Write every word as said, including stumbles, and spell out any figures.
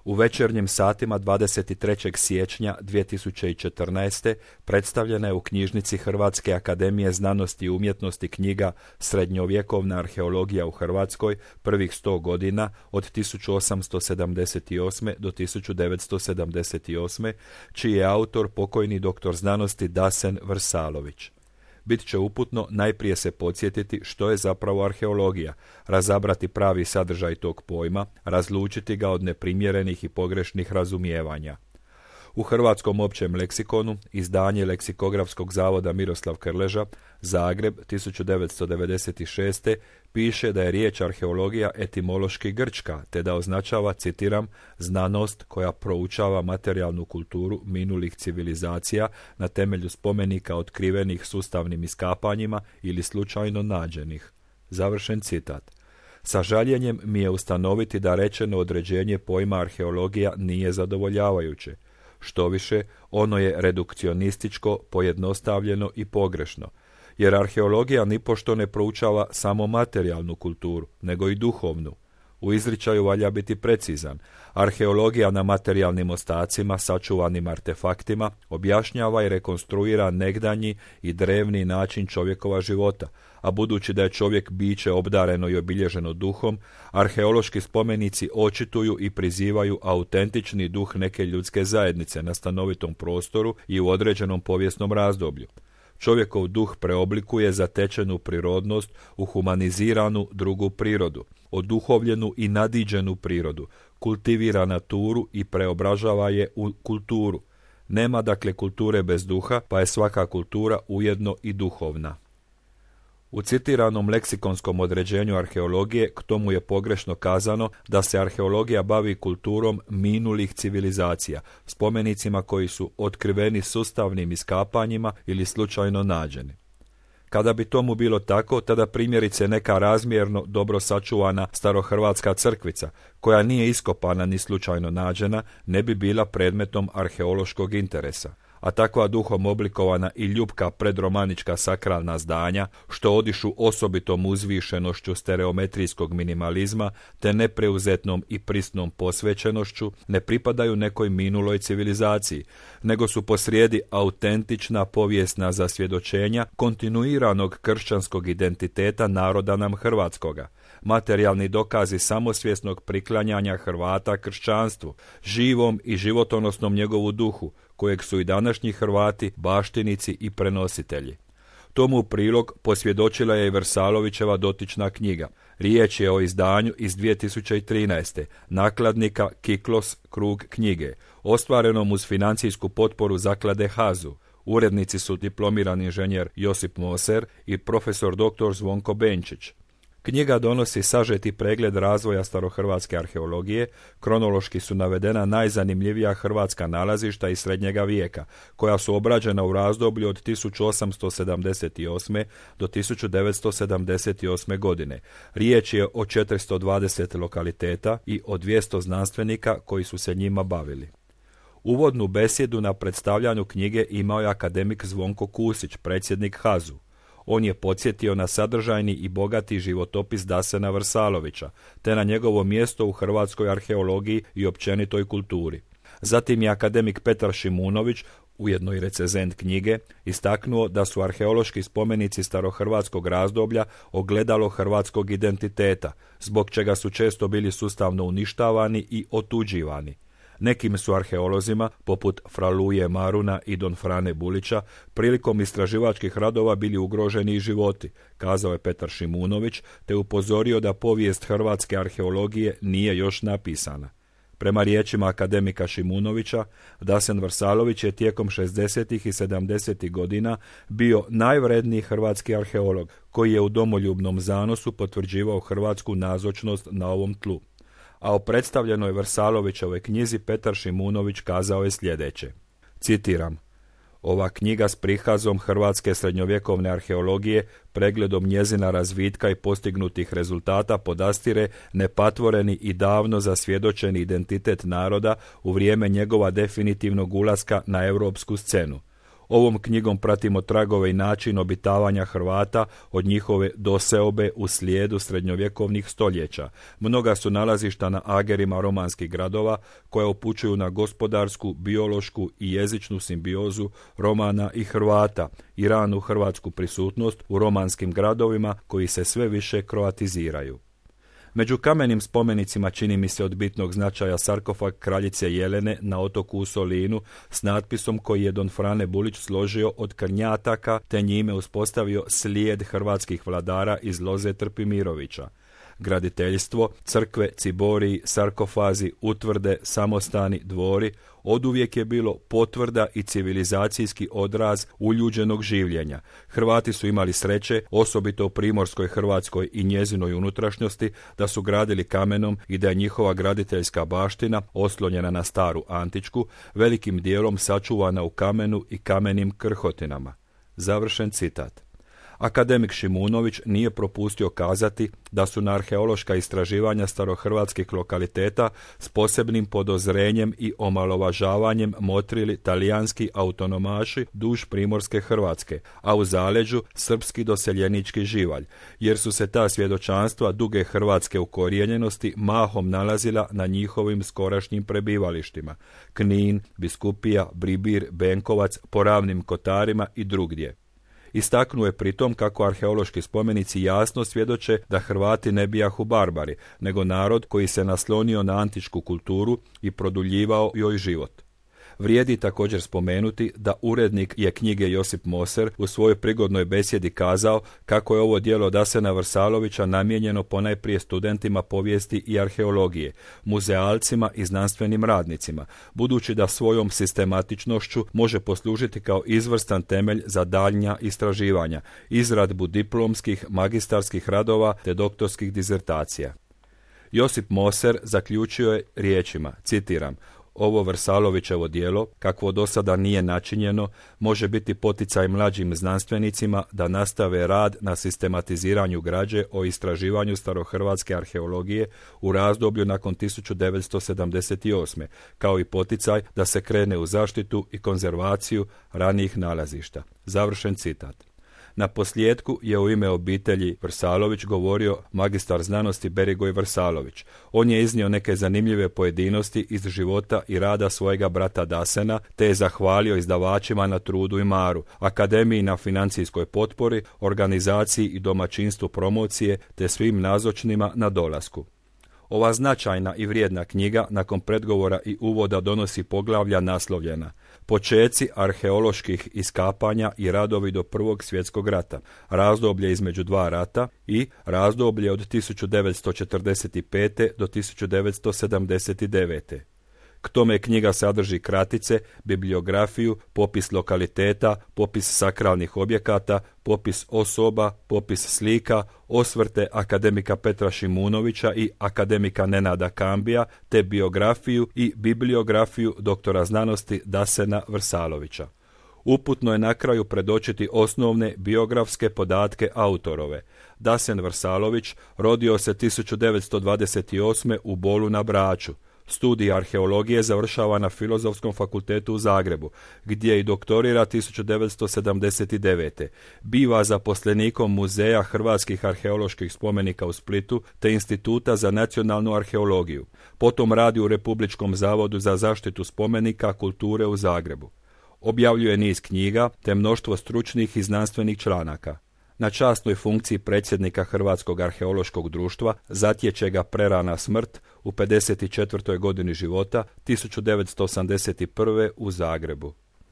U večernjim satima dvadeset trećeg siječnja dvije tisuće četrnaeste. predstavljena je u knjižnici Hrvatske akademije znanosti i umjetnosti knjiga Srednjovjekovna arheologija u Hrvatskoj prvih sto godina od tisuću osamsto sedamdeset osme. do tisuću devetsto sedamdeset osme. čiji je autor pokojni doktor znanosti Dasen Vrsalović. Bit će uputno najprije se podsjetiti što je zapravo arheologija, razabrati pravi sadržaj tog pojma, razlučiti ga od neprimjerenih i pogrešnih razumijevanja. U Hrvatskom općem leksikonu, izdanje Leksikografskog zavoda Miroslav Krleža, Zagreb, tisuću devetsto devedeset šeste. piše da je riječ arheologija etimološki grčka, te da označava, citiram, znanost koja proučava materijalnu kulturu minulih civilizacija na temelju spomenika otkrivenih sustavnim iskapanjima ili slučajno nađenih. Završen citat. Sa žaljenjem mi je ustanoviti da rečeno određenje pojma arheologija nije zadovoljavajuće. Štoviše, ono je redukcionističko, pojednostavljeno i pogrešno, jer arheologija nipošto ne proučava samo materijalnu kulturu, nego i duhovnu. U izričaju valja biti precizan. Arheologija na materijalnim ostacima, sačuvanim artefaktima, objašnjava i rekonstruira negdanji i drevni način čovjekova života, a budući da je čovjek biće obdareno i obilježeno duhom, arheološki spomenici očituju i prizivaju autentični duh neke ljudske zajednice na stanovitom prostoru i u određenom povijesnom razdoblju. Čovjekov duh preoblikuje zatečenu prirodnost u humaniziranu drugu prirodu, oduhovljenu i nadiđenu prirodu, kultivira naturu i preobražava je u kulturu. Nema dakle kulture bez duha, pa je svaka kultura ujedno i duhovna. U citiranom leksikonskom određenju arheologije k tomu je pogrešno kazano da se arheologija bavi kulturom minulih civilizacija, spomenicima koji su otkriveni sustavnim iskapanjima ili slučajno nađeni. Kada bi tomu bilo tako, tada primjerice neka razmjerno dobro sačuvana starohrvatska crkvica, koja nije iskopana ni slučajno nađena, ne bi bila predmetom arheološkog interesa. A takva duhom oblikovana i ljupka predromanička sakralna zdanja, što odišu osobitom uzvišenošću stereometrijskog minimalizma, te nepreuzetnom i prisnom posvećenošću, ne pripadaju nekoj minuloj civilizaciji, nego su posrijedi autentična povijesna zasvjedočenja kontinuiranog kršćanskog identiteta naroda nam hrvatskoga, materijalni dokazi samosvjesnog priklanjanja Hrvata kršćanstvu, živom i životonosnom njegovu duhu, kojeg su i današnji Hrvati baštinici i prenositelji. Tomu u prilog posvjedočila je i Vrsalovićeva dotična knjiga. Riječ je o izdanju iz dvije tisuće trinaeste. nakladnika Kiklos krug knjige, ostvarenom uz financijsku potporu zaklade Hazu. Urednici su diplomirani inženjer Josip Moser i profesor doktor Zvonko Benčić. Knjiga donosi sažeti pregled razvoja starohrvatske arheologije, kronološki su navedena najzanimljivija hrvatska nalazišta iz srednjega vijeka, koja su obrađena u razdoblju od tisuću osamsto sedamdeset osme. do tisuću devetsto sedamdeset osme. godine. Riječ je o četiristo dvadeset lokaliteta i o dvjesto znanstvenika koji su se njima bavili. Uvodnu besjedu na predstavljanju knjige imao je akademik Zvonko Kusić, predsjednik Hazu. On je podsjetio na sadržajni i bogati životopis Dasena Vrsalovića, te na njegovo mjesto u hrvatskoj arheologiji i općenitoj kulturi. Zatim je akademik Petar Šimunović, ujedno i recenzent knjige, istaknuo da su arheološki spomenici starohrvatskog razdoblja ogledalo hrvatskog identiteta, zbog čega su često bili sustavno uništavani i otuđivani. Nekim su arheolozima, poput Fraluje Maruna i Don Frane Bulića, prilikom istraživačkih radova bili ugroženi i životi, kazao je Petar Šimunović, te upozorio da povijest hrvatske arheologije nije još napisana. Prema riječima akademika Šimunovića, Dasen Vrsalović je tijekom šezdesetih i sedamdesetih godina bio najvredniji hrvatski arheolog, koji je u domoljubnom zanosu potvrđivao hrvatsku nazočnost na ovom tlu. A o predstavljenoj Vrsalovićevoj knjizi Petar Šimunović kazao je sljedeće. Citiram: Ova knjiga s prikazom hrvatske srednjovjekovne arheologije, pregledom njezina razvitka i postignutih rezultata podastire nepatvoreni i davno zasvjedočeni identitet naroda u vrijeme njegova definitivnog ulaska na europsku scenu. Ovom knjigom pratimo tragove i način obitavanja Hrvata od njihove doseobe u slijedu srednjovjekovnih stoljeća. Mnoga su nalazišta na agerima romanskih gradova koja upućuju na gospodarsku, biološku i jezičnu simbiozu Romana i Hrvata i ranu hrvatsku prisutnost u romanskim gradovima koji se sve više kroatiziraju. Među kamenim spomenicima čini mi se od bitnog značaja sarkofag kraljice Jelene na otoku u Solinu s natpisom koji je don Frane Bulić složio od krnjataka te njime uspostavio slijed hrvatskih vladara iz loze Trpimirovića. Graditeljstvo, crkve, ciboriji, sarkofazi, utvrde, samostani, dvori oduvijek je bilo potvrda i civilizacijski odraz uljuđenog življenja. Hrvati su imali sreće, osobito u primorskoj Hrvatskoj i njezinoj unutrašnjosti, da su gradili kamenom i da je njihova graditeljska baština, oslonjena na staru antičku, velikim dijelom sačuvana u kamenu i kamenim krhotinama. Završen citat. Akademik Šimunović nije propustio kazati da su na arheološka istraživanja starohrvatskih lokaliteta s posebnim podozrenjem i omalovažavanjem motrili talijanski autonomaši duž primorske Hrvatske, a u zaleđu srpski doseljenički živalj, jer su se ta svjedočanstva duge hrvatske ukorijenjenosti mahom nalazila na njihovim skorašnjim prebivalištima: Knin, Biskupija, Bribir, Benkovac, po Ravnim Kotarima i drugdje. Istaknuo je pritom kako arheološki spomenici jasno svjedoče da Hrvati ne bijahu barbari, nego narod koji se naslonio na antičku kulturu i produljivao joj život. Vrijedi također spomenuti da urednik je knjige Josip Moser u svojoj prigodnoj besjedi kazao kako je ovo djelo Dasena Vrsalovića namijenjeno ponajprije studentima povijesti i arheologije, muzealcima i znanstvenim radnicima, budući da svojom sistematičnošću može poslužiti kao izvrstan temelj za daljnja istraživanja, izradbu diplomskih, magistarskih radova te doktorskih dizertacija. Josip Moser zaključio je riječima, citiram: ovo Vrsalovićevo djelo, kakvo do sada nije načinjeno, može biti poticaj mlađim znanstvenicima da nastave rad na sistematiziranju građe o istraživanju starohrvatske arheologije u razdoblju nakon tisuću devetsto sedamdeset osme, kao i poticaj da se krene u zaštitu i konzervaciju ranijih nalazišta. Završen citat. Na posljedku je u ime obitelji Vrsalović govorio magistar znanosti Berigoj Vrsalović. On je iznio neke zanimljive pojedinosti iz života i rada svojega brata Dasena, te je zahvalio izdavačima na trudu i maru, akademiji na financijskoj potpori, organizaciji i domaćinstvu promocije, te svim nazočnima na dolasku. Ova značajna i vrijedna knjiga nakon predgovora i uvoda donosi poglavlja naslovljena Počeci arheoloških iskapanja i radovi do Prvog svjetskog rata, razdoblje između dva rata i razdoblje od tisuću devetsto četrdeset pete do tisuću devetsto sedamdeset devete. K tome knjiga sadrži kratice, bibliografiju, popis lokaliteta, popis sakralnih objekata, popis osoba, popis slika, osvrte akademika Petra Šimunovića i akademika Nenada Kambija, te biografiju i bibliografiju doktora znanosti Dasena Vrsalovića. Uputno je na kraju predočiti osnovne biografske podatke autorove. Dasen Vrsalović rodio se tisuću devetsto dvadeset osme u Bolu na Braču. Studij arheologije završava na Filozofskom fakultetu u Zagrebu, gdje i doktorira tisuću devetsto sedamdeset devete. Biva zaposlenikom Muzeja hrvatskih arheoloških spomenika u Splitu te Instituta za nacionalnu arheologiju. Potom radi u Republičkom zavodu za zaštitu spomenika kulture u Zagrebu. Objavljuje niz knjiga te mnoštvo stručnih i znanstvenih članaka. Na časnoj funkciji predsjednika Hrvatskog arheološkog društva zatječe ga prerana smrt u pedeset četvrtoj godini života tisuću devetsto osamdeset prve u Zagrebu.